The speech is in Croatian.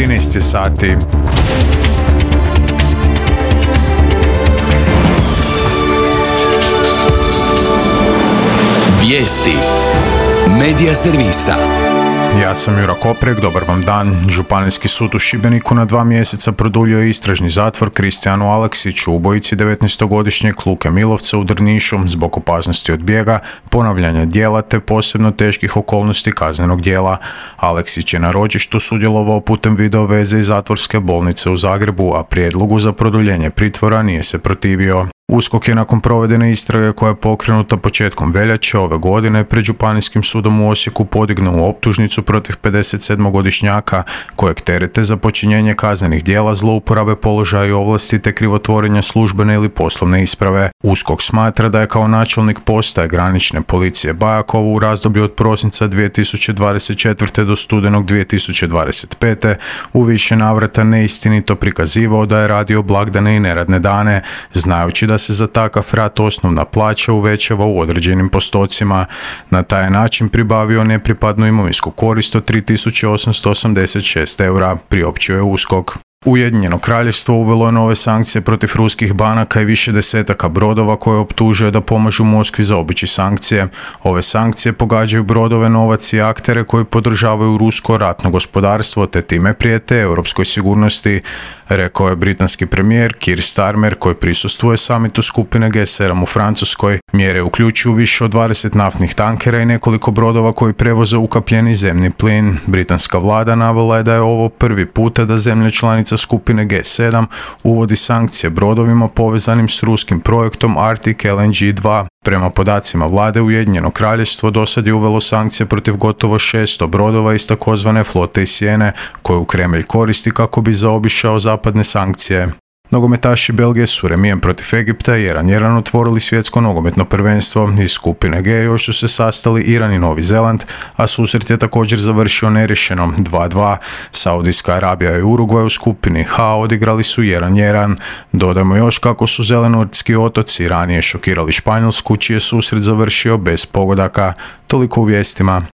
13 sati. Vijesti Medija servisa. Ja sam Jura Koprek, dobar vam dan. Županijski sud u Šibeniku na 2 mjeseca produljio je istražni zatvor Kristijanu Aleksiću, ubojici 19-godišnjeg Luke Milovca u Drnišu zbog opasnosti od bijega, ponavljanja djela te posebno teških okolnosti kaznenog djela. Aleksić je na ročištu sudjelovao putem video veze iz zatvorske bolnice u Zagrebu, a prijedlogu za produljenje pritvora nije se protivio. USKOK je nakon provedene istrage koja je pokrenuta početkom veljače ove godine pred Županijskim sudom u Osijeku podignuo optužnicu protiv 57-godišnjaka kojeg terete za počinjenje kaznenih djela, zlouporabe položaja i ovlasti te krivotvorenja službene ili poslovne isprave. USKOK smatra da je kao načelnik postaje granične policije Bajakovo u razdoblju od prosinca 2024. do studenog 2025. u više navrata neistinito prikazivao da je radio blagdane i neradne dane, znajući da se za takav rad osnovna plaća uvećava u određenim postocima. Na taj način pribavio nepripadnu imovinsku korist od 3.886 eura, priopćio je USKOK. Ujedinjeno kraljevstvo uvelo je nove sankcije protiv ruskih banaka i više desetaka brodova koje optužuje da pomažu Moskvi zaobići sankcije. Ove sankcije pogađaju brodove, novac i aktere koji podržavaju rusko ratno gospodarstvo te time prijete europskoj sigurnosti, rekao je britanski premijer Keir Starmer koji prisustvuje samitu skupine G7 u Francuskoj. Mjere uključuju više od 20 naftnih tankera i nekoliko brodova koji prevoze ukapljeni zemni plin. Britanska vlada navela je da je ovo prvi puta da zemlje članice skupine G7 uvodi sankcije brodovima povezanim s ruskim projektom Arctic LNG 2. Prema podacima vlade, Ujedinjeno kraljevstvo dosad je uvelo sankcije protiv gotovo 600 brodova iz takozvane flote iz sjene, koju Kremlj koristi kako bi zaobišao zapadne sankcije. Nogometaši Belgije su remijem protiv Egipta 1:1 otvorili svjetsko nogometno prvenstvo. Iz skupine G još su se sastali Iran i Novi Zeland, a susret je također završio neriješeno 2:2. Saudijska Arabija i Urugvaj u skupini H odigrali su 1:1. Dodajmo još kako su Zelenortski otoci ranije šokirali Španjolsku, čiji je susret završio bez pogodaka. Toliko u vijestima.